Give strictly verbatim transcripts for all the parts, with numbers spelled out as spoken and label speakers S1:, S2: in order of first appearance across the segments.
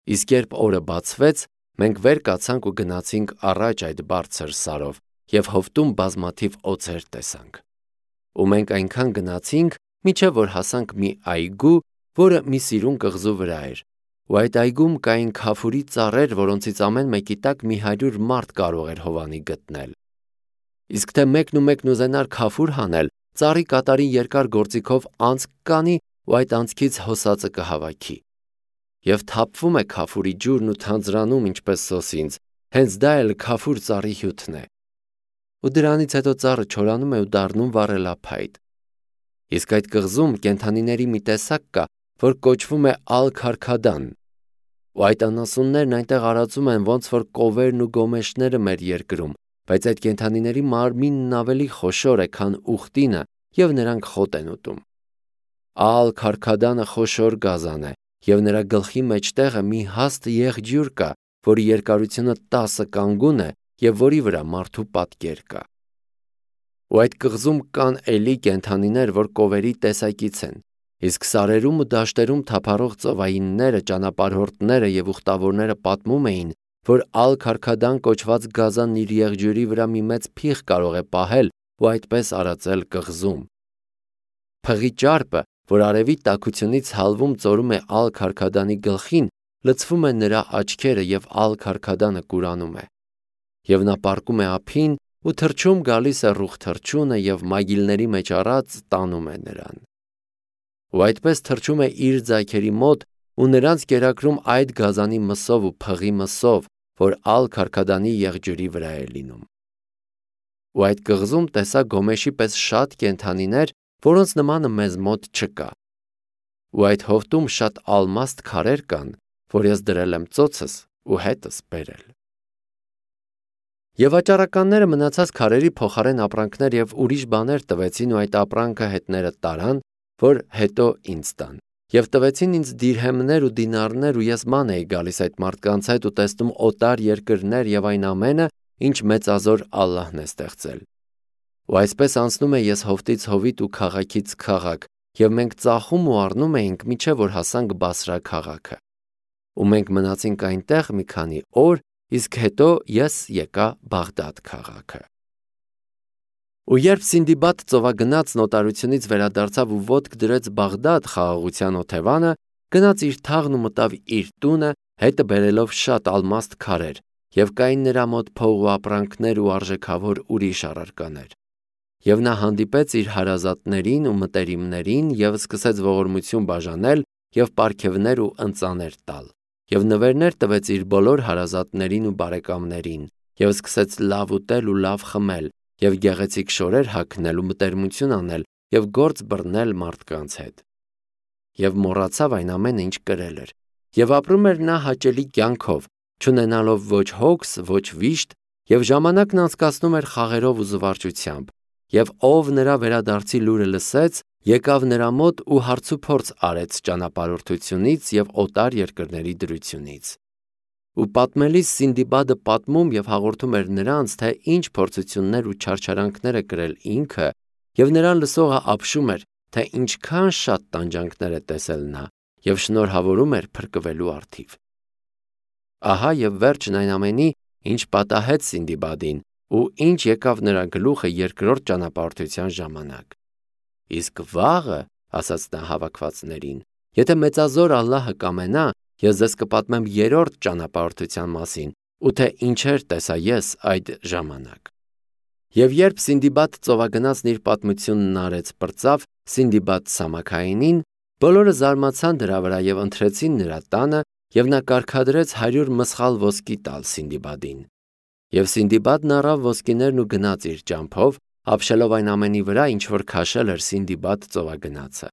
S1: Իսկ երբ օրը բացվեց, մենք վեր կացանք ու գնացինք առաջ այդ բարձր սարով և հովտում բազմաթիվ օձեր տեսանք։ Ու մենք այնքան գնացինք, մինչև որ հասանք մի այգու, որը մի սիրուն կղզու վրա էր, ու այդ այգում կային քաֆուրի ծառեր, որոնցից ամեն մեկի տակ մի հարյուր մարդ կարող էր հովանի գտնել։ Իսկ թե մեկն ու մեկն ուզենար քաֆուր հանել, ծառի կատարի երկար գործիքով անցք կանի ու այդ անցքից հոսածը կհավաքի։ Եվ թափվում է քաֆուրի ջուրն ու թանձրանում ինչպես սոսինձ, հենց դա էլ քաֆուր ծառի հյութն է։ Ու դրանից հետո ծառը չորանում է ու դառնում վառելափայտ։ Իսկ այդ կղզում կենդանիների մի տեսակ կա, որ կոչվում է ալ-Քարքադան, ու այդ անասուններն այնտեղ արածում են ոնց որ կովերն ու գոմեշները մեր երկրում, բայց այդ կենդանիների մարմինն ավելի խոշոր է, քան ուխտինը, և նրանք խոտ են ուտում։ Ալ-Քարքադանը խոշոր գազան է, և նրա գլխի մեջտեղը մի հաստ եղջյուր կա, որի երկարությունը տասը կանգուն է և որի վրա մարդու պատկեր կա։ Ու այդ կղզում կան էլի կենդանիներ, որ կովերի տեսակից են, իսկ սարերում ու դաշտերում թափառող ծովայինները, ճանապարհորդները և ուխտավորները պատմում էին, որ Ալ-Քարքադան կոչված գազանն իր եղջյուրի վրա մի մեծ փիղ կարող է պահել ու այդպես արածել կղզում։ Փղի ճարպը, որ արևի տաքությունից հալվում ծորում է Ալ-Քարքադանի գլխին, լցվում է նրա աչքերը և Ալ-Քարքադանը կուրանում է։ Եվ նա պառկում է ափին ու թռչում գալիս է ռուխ թռչունը և մագիլների մեջ առած տանում է նրան։ Ու այդպես թռչում է իր ձագերի մոտ ու նրանց կերակրում այդ գազանի մսով ու փղի մսով, որ Ալ-Քարքադանի եղջյուրի վրա է լինում։ Ու այդ կղզում տեսա գոմեշի պես շատ կենդանիներ, որոնց նմանը մեզ մոտ չկա։ Ու այդ հովտում շատ ալմաստ քարեր կան, որ ես դրել եմ ծոցս ու հետս բերել։ Եվ վաճառականները մնացած քարերի փոխարեն ապրանքներ և ուրիշ բաներ տվեցին ու այդ ապրանքը հետները տարան, որ հետո ինձ տան, և տվեցին ինձ դիրհեմներ ու դինարներ ու ես ման էի գալիս այդ մարդկանց հետ ու տեսնում օտար երկրներ և այն ամենը, ինչ մեծազոր Ալլահն է ստեղծել։ Ու այսպես անցնում է ես հովտից հովիտ ու քաղաքից քաղաք, և մենք ծախում ու առնում էինք, մինչև որ հասանք Բասրա քաղաքը։ Ու մենք մնացինք այնտեղ մի քանի օր, իսկ հետո ես եկա Բաղդադ քաղաքը։ Ու երբ Սինդիբադ ծովագնացն օտարությունից վերադարձավ ու ոտք դրեց Բաղդադ խաղաղության օթևանը, գնաց իր թաղն ու մտավ իր տունը, հետը բերելով շատ ալմաստ քարեր, և կային նրա մոտ փող ու ապրանքներ ու արժեքավոր ուրիշ առարկաներ։ Եվ նա հանդիպեց իր հարազատներին ու մտերիմներին և սկսեց ողորմություն բաժանել և պարգևներ ու ընծաներ տալ, և նվերներ տվեց իր բոլոր հարազատներին ու բարեկամներին, և սկսեց լավ ուտել ու լավ խմել, և գեղեցիկ շորեր հագնել ու մտերմություն անել և գործ բռնել մարդկանց հետ։ Եվ մոռացավ այն ամենը, ինչ կրել էր, և ապրում էր նա հաճելի կյանքով, չունենալով ոչ հոգս, ոչ վիշտ, և ժամանակն անցկացնում էր խաղերով ու զվարճությամբ, և ով նրա վերադարձի լուրը լսեց, եկավ նրա մոտ ու հարցուփորձ արեց ճանապարհորդությունից և օտար երկրների դրությունից։ Ու պատմելիս Սինդիբադը պատմում և հաղորդում էր նրանց, թե ինչ փորձություններ ու չարչարանքներ է կրել ինքը, և նրան լսողը ապշում էր, թե ինչքան շատ տանջանքներ է տեսել նա, և շնորհավորում էր փրկվելու առթիվ։ Ահա և վերջն այն ամենի, ինչ պատահեց Սինդիբադին, ու ինչ եկավ նրա գլուխը երկրորդ ճանապարհորդության ժամանակ։ Իսկ վաղը, ասաց նա հավաքվածներին, եթե մեծազոր Ալլահը կամենա, ես ձեզ կպատմեմ երրորդ ճանապարհորդության մասին, ու թե ինչեր տեսա ես այդ ժամանակ։ Եվ երբ Սինդիբադ ծովագնացն իր պատմությունն արեց պրծավ Սինդիբադ Սամաքայինին, բոլորը զարմացան դրա վրա և ընթրեցին նրա տանը, և նա կարգադրեց հարյուր մսխալ ոսկի տալ Սինդիբադին։ Եվ Սինդիբադն առավ ոսկիներն ու գնաց իր ճամփով, ապշելով այն ամենի վրա, ինչ որ քաշել էր Սինդիբադ ծովագնացը։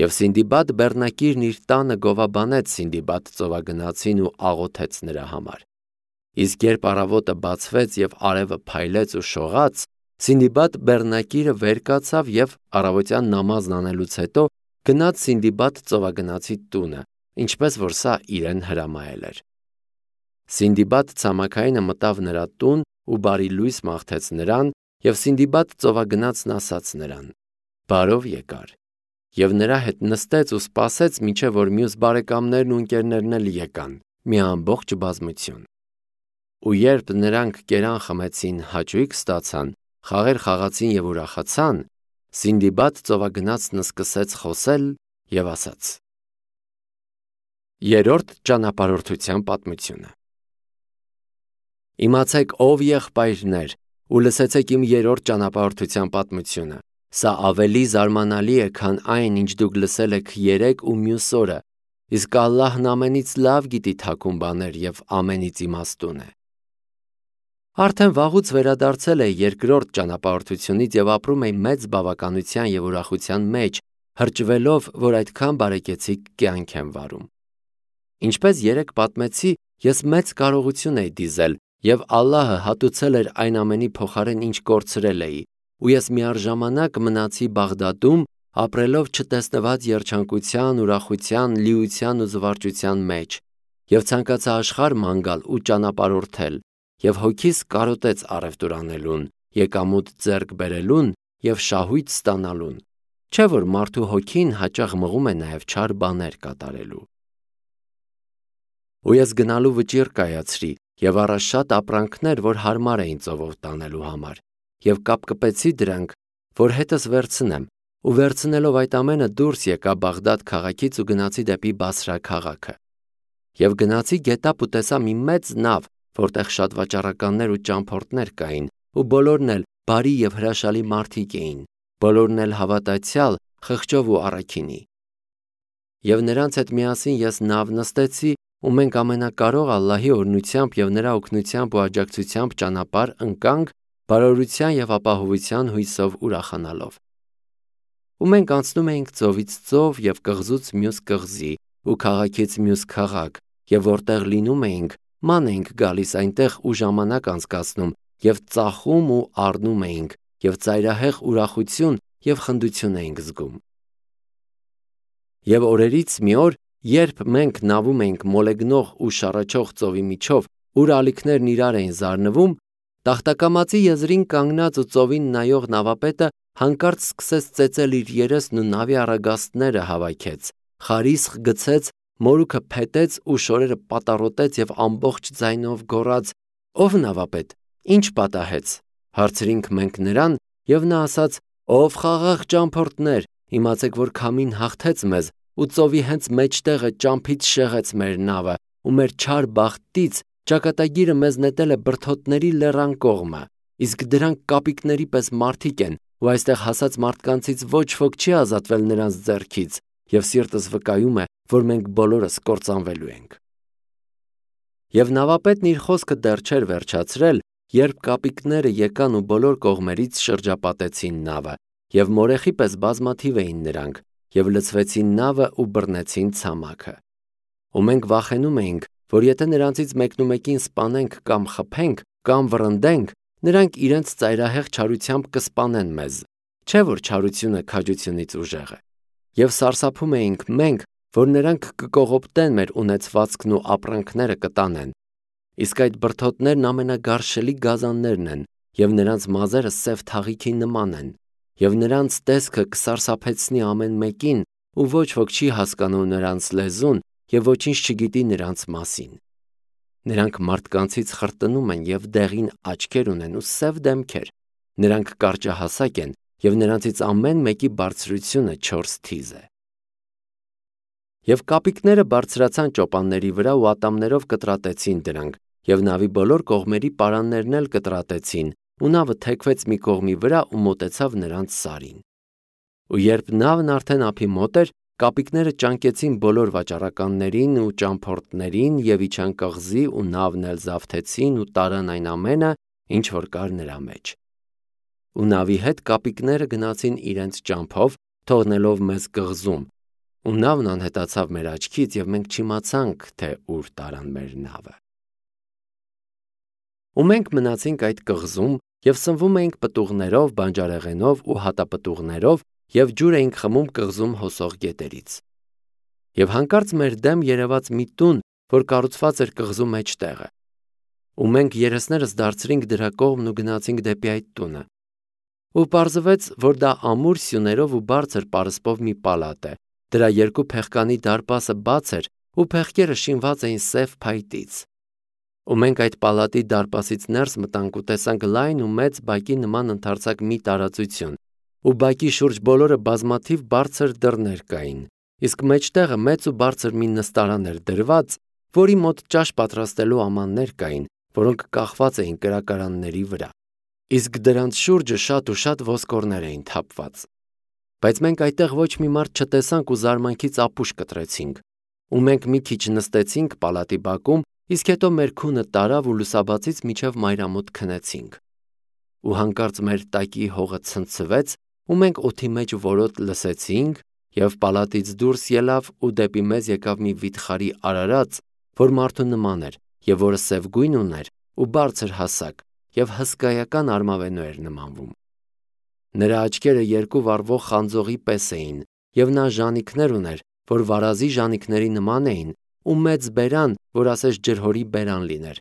S1: Եվ Սինդիբադ բեռնակիրն իր տանը գովաբանեց Սինդիբադ ծովագնացին ու աղոթեց նրա համար։ Իսկ երբ առավոտը բացվեց և արևը փայլեց ու շողաց, Սինդիբադ բեռնակիրը վեր կացավ և առավոտյան նամազն անելուց հետո գնաց Սինդիբադ ծովագնացի տունը, ինչպես որ սա իրեն հրամայել էր։ Սինդիբադ ցամաքայինը մտավ նրա տուն ու բարի լույս մաղթեց նրան, և Սինդիբադ ծովագնացն ասաց նրան. «Բարով եկար»։ Եվ նրա հետ նստեց ու սպասեց, մինչև որ մյուս բարեկամներն ու ընկերներն էլ եկան, մի ամբողջ բազմություն։ Ու երբ նրանք կերան խմեցին, հաճույք ստացան, խաղեր խաղացին եւ ուրախացան, Սինդիբադ ծովագնացն սկսեց խոսել եւ ասաց. Երրորդ ճանապարհորդության պատմությունը։ Իմացեք, ով եղբայրներ, ու լսեցեք իմ երրորդ ճանապարհորդության պատմությունը։ Սա ավելի զարմանալի է, քան այն, ինչ դուք լսել եք երեկ ու մյուս օրը, իսկ Ալլահն ամենից լավ գիտի թաքուն բաներ եւ ամենից իմաստուն է։ Արդեն վաղուց վերադարձել է երկրորդ ճանապարհորդությունից եւ ապրում է մեծ բավականության եւ ուրախության մեջ, հրճվելով, որ այդքան բարեկեցիկ կյանք եմ վարում։ Ինչպես երեք պատմեցի, ես մեծ կարողություն էի դիզել եւ Ալլահը հատուցել էր այն ամենի փոխարեն, ինչ կորցրել էի, ու ես միառժամանակ մնացի Բաղդադում, ապրելով չտեսնված երջանկության, ուրախության, լիության ու զվարճության մեջ, եւ ցանկացա աշխարհ ման գալ ու ճանապարհորդել, եւ հոգիս կարոտեց առևտուր անելուն, եկամուտ ձեռք բերելուն եւ շահույթ ստանալուն, չէ՞ որ մարդու հոգին հաճախ մղում է նաեւ չար բաներ կատարելու։ Ու ես գնալու վճիռ կայացրի եւ առա շատ ապրանքներ, որ հարմար էին ծովով տանելու համար, եւ կապկպեցի դրանք, որ հետս վերցնեմ, ու վերցնելով այդ ամենը դուրս եկա Բաղդադ քաղաքից ու գնացի դեպի Բասրա քաղաքը։ Եվ գնացի գետապ ու տեսա մի մեծ նավ, որտեղ շատ վաճառականներ ու ճամփորդներ կային, ու բոլորն էլ բարի եւ հրաշալի մարդիկ էին, բոլորն էլ հավատացյալ, խղճով ու առաքինի։ Եվ նրանց հետ միասին ես նավ նստեցի, ու մենք ամենակարող Ալլահի օրհնությամբ եւ նրա օգնությամբ ու աջակցությամբ ճանապարհ ընկանք բարօրության եւ ապահովության հույսով ուրախանալով։ Ու մենք անցնում էինք ծովից ծով եւ կղզուց մյուս կղզի ու քաղաքից մյուս քաղաք, եւ որտեղ լինում էինք, ման էինք գալիս այնտեղ ու ժամանակ անցկացնում եւ ծախում ու առնում էինք եւ ծայրահեղ ուրախություն եւ խնդություն էինք զգում։ Եվ օրերից մի օր, երբ մենք նավում էինք մոլեգնող ու շառաչող ծովի միջով, ուր ալիքներն իրար էին զարնվում, տախտակամածի եզրին կանգնած ու ծովին նայող նավապետը հանկարծ սկսեց ծեծել իր երեսն ու նավի առագաստները հավաքեց, խարիսխ գցեց, մորուքը փետեց ու շորերը պատառոտեց եւ ամբողջ ձայնով գոռաց. «Ով նավապետ, ինչ պատահեց»։ Հարցրինք մենք նրան, եւ նա ասաց. «Ով խաղաղ ճամփորդներ, իմացեք, որ քամին հաղթեց մեզ, ու ծովի հենց մեջտեղը ճամփից շեղեց մեր նավը, ու մեր չար բախտից ճակատագիրը մեզ նետել է բրդոթների լեռան կողմը, իսկ դրանք կապիկների պես մարդիկ են, ու այստեղ հասած մարդկանցից ոչ ոք չի ազատվել նրանց ձեռքից, եւ սիրտս վկայում է, որ մենք բոլորս կործանվելու ենք»։ Եվ նավապետն իր խոսքը դեռ չէր վերջացրել, երբ կապիկները եկան ու բոլոր կողմերից շրջապատեցին նավը, եւ մորեխի պես բազմաթիվ էին նրանք, եւ լցվեցին նավը ու բռնեցին ցամաքը։ Ու մենք վախենում էինք, որ եթե նրանցից մեկնումեկին սպանենք կամ խփենք կամ վռնդենք, նրանք իրենց ծայրահեղ չարությամբ կսպանեն մեզ, չէ՞ որ չարությունը քաջությունից ուժեղ է։ Եվ սարսափում էինք մենք, որ նրանք կկողոպտեն մեր ունեցվածքն ու ապրանքները կտանեն։ Իսկ այդ բրդոթներն ամենագարշելի գազաններն են, եւ նրանց մազերը սև թաղիքի նման են, եւ նրանց տեսքը կսարսափեցնի ամեն մեկին, ու ոչ ոք չի հասկանում նրանց լեզուն եւ ոչինչ չգիտի նրանց մասին։ Նրանք մարդկանցից խրտնում են եւ դեղին աչքեր ունեն ու սև դեմքեր։ Նրանք կարճահասակ են եւ նրանցից ամեն մեկի բարձրությունը չորս թիզ է։ Եվ կապիկները բարձրացան ճոպանների վրա ու ատամներով կտրատեցին դրանք, եւ նավի բոլոր կողմերի պարաններն էլ կտրատեցին, ու նավը թեքվեց մի կողմի վրա ու մոտեցավ նրանց սարին։ Ու երբ նավն արդեն ափի մոտ էր, կապիկները ճանկեցին բոլոր վաճառականներին ու ճամփորդներին եւ իջան կղզի ու նավն էլ զավթեցին ու տարան այն ամենը, ինչ որ կար նրա մեջ։ Ու նավի հետ կապիկները գնացին իրենց ճամփով, թողնելով մեզ կղզում, ու նավն անհետացավ մեր աչքից եւ մենք չիմացանք, թե ուր տարան մեր նավը։ Ու մենք մնացինք այդ կղզում եւ սնվում էինք պտուղներով, բանջարեղենով ու հատապտուղներով եւ ջուր էինք խմում կղզում հոսող գետերից։ Եվ հանկարծ մեր դեմ երևաց մի տուն, որ կառուցված էր կղզու մեջտեղը։ Ու մենք երեսներս դարձրինք դրա կողմն ու գնացինք դեպի այդ տունը։ ու պարզվեց, որ դա ամուր սյուներով ու բարձր պարսպով մի պալատ է, դրա երկու փեղկանի դարպասը բաց էր ու փեղկերը շինված էին սև փայտից։ Ու մենք այդ պալատի դարպասից ներս մտանք ու տեսանք լայն ու մեծ բակի նման ընդարձակ մի տարածություն, ու բակի շուրջ բոլորը բազմաթիվ բարձր դռներ կային, իսկ մեջտեղը մեծ ու բարձր մի նստարան էր դրված, որի մոտ ճաշ պատրաստելու ամաններ կային, որոնք կախված էին կրակարանների վրա, իսկ դրանց շուրջը շատ ու շատ ոսկորներ էին թափված։ Բայց մենք այդտեղ ոչ մի մարդ չտեսանք ու զարմանքից ապուշ կտրեցինք, ու մենք մի քիչ նստեցինք պալատի բակում, իսկ հետո մեր քունը տարավ ու լուսաբացից մինչև մայրամոտ քնեցինք։ Ու հանկարծ մեր տակի հողը ցնցվեց, ու մենք օդի մեջ որոտ լսեցինք, և պալատից դուրս ելավ ու դեպի մեզ եկավ մի վիթխարի արարած, որ մարդու նման էր, և որը սև գույն ուներ ու բարձր հասակ, և հսկայական արմավենու էր նմանվում։ Նրա աչքերը երկու վառվող խանձողի պես էին, և նա ժանիքներ ուներ, որ վարազի ժանիքների նման էին, ու մեծ բերան, որ ասես ջրհորի բերան լիներ,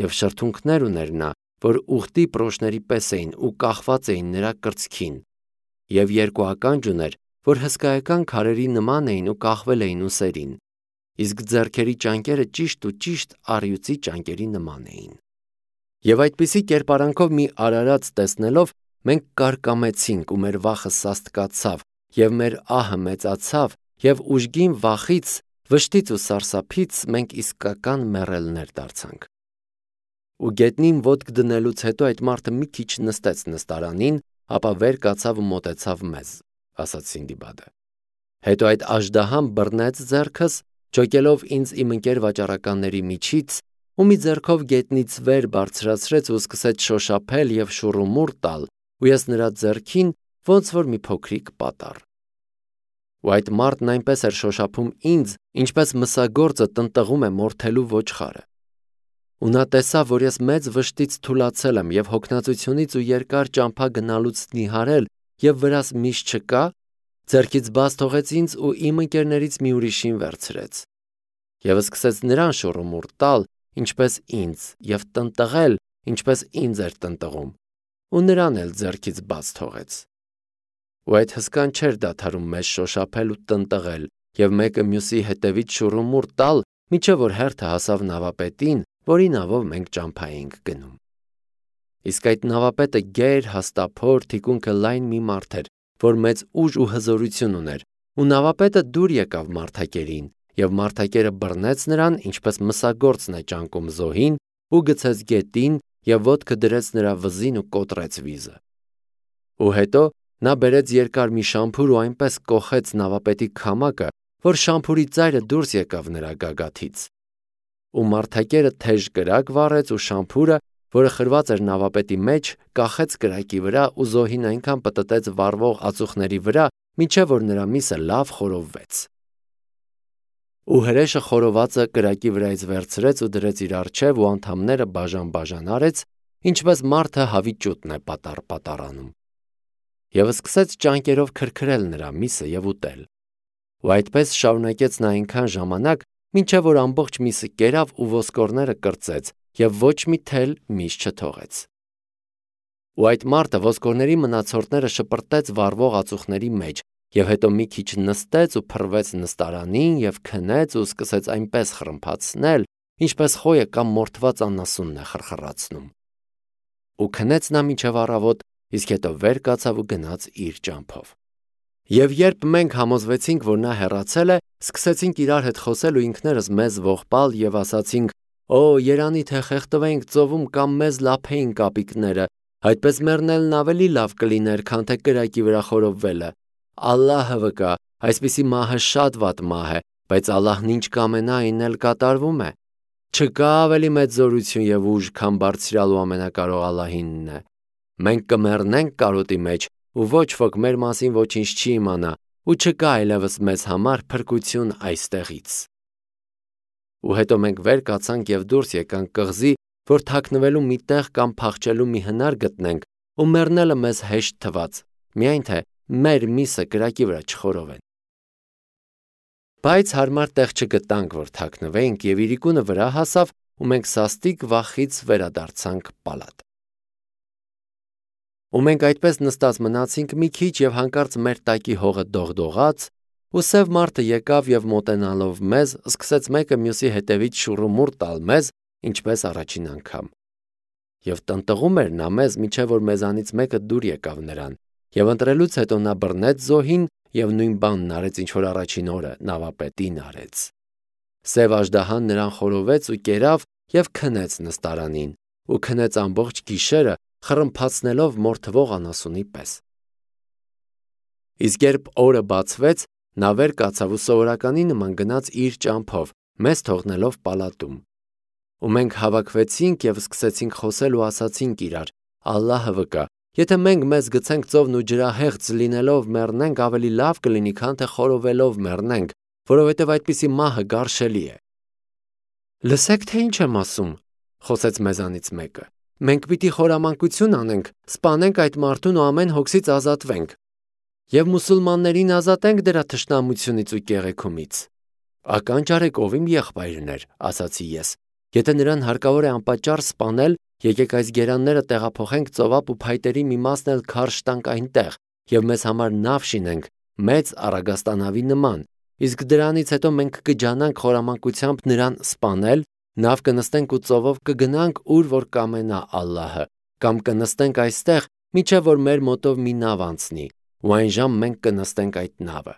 S1: և շրթունքներ ուներ նա, որ ուղտի պրոշների պես էին ու կախված էին նրա կրծքին, և երկու ականջ ուներ, որ հսկայական քարերի նման էին ու կախվել էին ուսերին, իսկ ձեռքերի ճանկերը ճիշտ ու ճիշտ առյուծի ճանկերի նման էին։ Եվ այդպիսի կերպարանքով մի արարած տեսնելով, մենք կարկամեցինք ու մեր վախը սաստկացավ, և մեր ահը մեծացավ, և ուժգին վախից, վշտից ու սարսափից մենք իսկական մեռելներ դարձանք։ Ու գետնին ոտք դնելուց հետո այդ մարդը մի քիչ նստեց նստարանին, ապա վեր կացավ ու մոտեցավ մեզ, ասաց Սինդիբադը։ Հետո այդ աժդահան բռնեց ձեռքս, ջոկելով ինձ իմ ընկեր վաճառականների միջից, ու մի ձեռքով գետնից վեր բարձրացրեց ու սկսեց շոշափել և շուռումուռ տալ, ու ես նրա ձեռքին ոնց որ մի փոքրիկ պատառ։ Ու այդ մարդն այնպես էր շոշափում ինձ, ինչպես մսագործը տնտղում է մորթելու ոչխարը։ Ու նա տեսավ, որ ես մեծ վշտից թուլացել եմ և հոգնածությունից ու երկար ճամփա գնալուց նիհարել և վրաս միշտ չկա, ձեռքից բաց թողեց ինձ ու իմ ընկերներից մի ուրիշին վերցրեց։ Եվ սկսեց նրան շուռումուռ տալ, ինչպես ինձ, և տնտղել, ինչպես ինձ էր տնտղում, ու նրան էլ ձեռքից բաց թողեց։ Ու այդ հսկան չէր դադարում մեզ շոշափել ու տնտղել, և մեկը մյուսի հետևից շուռումուռ տալ, մինչև որ հերթը հասավ նավապետին, որի նավով մենք ճամփա էինք գնում։ Իսկ այդ նավապետը գեր, հաստափոր, թիկունքը լայն մի մարդ էր, որ մեծ ուժ ու հզորություն ուներ, ու նավապետը դուր եկավ մարդակերին, և մարդակերը բռնեց նրան, ինչպես մսագործն է ճանկում զոհին, ու գցեց գետին, և ոտքը դրեց նրա վզին ու կոտրեց վիզը։ Ու հետո նա բերեց երկար մի շամփուր ու այնպես կոխեց նավապետի քամակը, որ շամփուրի ծայրը դուրս եկավ նրա գագաթից։ Ու մարդակերը թեժ կրակ վառեց ու շամփուրը, որը խրված էր նավապետի մեջ, կախեց կրակի վրա ու զոհին այնքան պտտեց վառվող ածուխների վրա, մինչև որ նրա միսը լավ խորովվեց։ Ու հրեշը խորովածը կրակի վրայից վերցրեց ու դրեց իր առջև ու անդամները բաժան-բաժան արեց, ինչպես մարդը հավիճուտն է պատառ-պատառանում։ Եվ սկսեց ճանկերով քրքրել նրա միսը և ուտել։ Ու այդպես շարունակեց նա այնքան ժամանակ, մինչև որ ամբողջ միսը կերավ ու ոսկորները կրծեց, և ոչ մի թել միս չթողեց։ Ու այդ մարդը ոսկորների մնացորդները շպրտեց վառվող ածուխների մեջ, և հետո մի քիչ նստեց ու փռվեց նստարանին և քնեց ու սկսեց այնպես խռմփացնել, ինչպես խոյը կամ մորթված անասունն է խրխռացնում։ Ու քնեց նա մինչև առավոտ, իսկ հետո վեր կացավ ու գնաց իր ճամփով։ Եվ երբ մենք համոզվեցինք, որ նա հեռացել է, սկսեցինք իրար հետ խոսել ու ինքներս մեզ ողբալ և ասացինք. «Օ, երանի թե խեղդվեինք ծովում կամ մեզ լափեին կապիկները, այդպես մեռնելն ավելի լավ կլիներ, քան թե կրակի վրա խորովվելը։ Ալլահը վկա, այսպիսի մահը շատ վատ մահ է, բայց Ալլահն ինչ կամենա, այն էլ կատարվում է։ Չկա ավելի մեծ զորություն և ուժ, քան Բարձրյալ ու Ամենակարող Ալլահինն է։ Մենք կմեռնենք կարոտի մեջ, ու ոչ ոք մեր մասին ոչինչ չի իմանա, ու չկա այլևս մեզ համար փրկություն այստեղից»։ Ու հետո մենք վեր կացանք և դուրս եկանք կղզի, որ թաքնվելու մի տեղ կամ փախչելու մի հնար գտնենք, ու մեռնելը մեզ հեշտ թվաց, միայն թե մեր միսը կրակի վրա չխորովեն։ Բայց հարմար տեղ չգտանք, որ թաքնվեինք, և իրիկունը վրա հասավ, ու մենք սաստիկ վախից վերադարձանք պալատ։ ու մենք այդպես նստած մնացինք մի քիչ և հանկարծ մեր տակի հողը դողդողաց, ու սև մարդը եկավ և մոտենալով մեզ, սկսեց մեկը մյուսի հետևից շուռումուռ տալ մեզ, ինչպես առաջին անգամ։ Եվ տնտղում էր նա մեզ, մինչև որ մեզանից մեկը դուր եկավ նրան, և ընտրելուց հետո նա բռնեց զոհին և նույն բանն արեց, ինչ որ առաջին օրը նավապետին արեց։ Սև աժդահան նրան խորովեց ու կերավ և քնեց նստարանին, ու քնեց ամբողջ գիշերը, խռմփացնելով մորթվող անասունի պես։ Իսկ երբ օրը բացվեց, նա վեր կացավ ու սովորականի նման գնաց իր ճամփով, մեզ թողնելով պալատում։ Ու մենք հավաքվեցինք և սկսեցինք խոսել ու ասացինք իրար. «Ալլահը վկա, եթե մենք մեզ գցենք ծովն ու ջրահեղձ լինելով մեռնենք, ավելի լավ կլինի, քան թե խորովելով մեռնենք, որովհետև այդպիսի մահը գարշելի է»։ «Լսեք, թե ինչ եմ ասում», խոսեց մեզանից մեկը։ «Մենք պիտի խորամանկություն անենք, սպանենք այդ մարդուն ու ամեն հոգսից ազատվենք, և մուսուլմաններին ազատենք դրա թշնամությունից ու կեղեքումից»։ «Ականջ արեք, ով իմ եղբայրն էր», ասացի ես։ «Եթե նրան հարկավոր է անպատճառ սպանել, եկեք այս գերանները տեղափոխենք ծովափ ու փայտերի մի մասն էլ քարշ տանք այնտեղ, և մեզ համար նավ շինենք, մեծ առագաստանավի նման, իսկ դրանից հետո մենք կջանանք խորամանկությամբ նրան սպանել, նավ կնստենք ու ծովով կգնանք, ուր որ կամենա Ալլահը, կամ կնստենք այստեղ, մինչև որ մեր մոտով մի նավ անցնի, ու այն ժամ մենք կնստենք այդ նավը։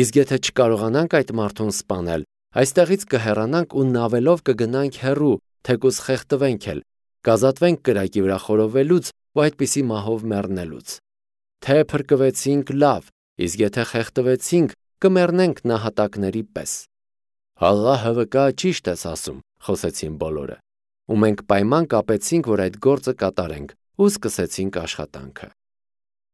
S1: Իսկ եթե չկարողանանք այդ մարդուն սպանել, այստեղից կհեռանանք ու նավելով կգնանք հեռու, թեկուզ խեղդվենք էլ, կազատվենք կրակի վրա խորովելուց ու այդպիսի մահով մեռնելուց։ Թե փրկվեցինք, լավ, իսկ եթե խեղդվեցինք, կմեռնենք նահատակների պես»։ «Ալլահը վկա, ճիշտ ես ասում», խոսեցին բոլորը։ Ու մենք պայման կապեցինք, որ այդ գործը կատարենք, ու սկսեցինք աշխատանքը։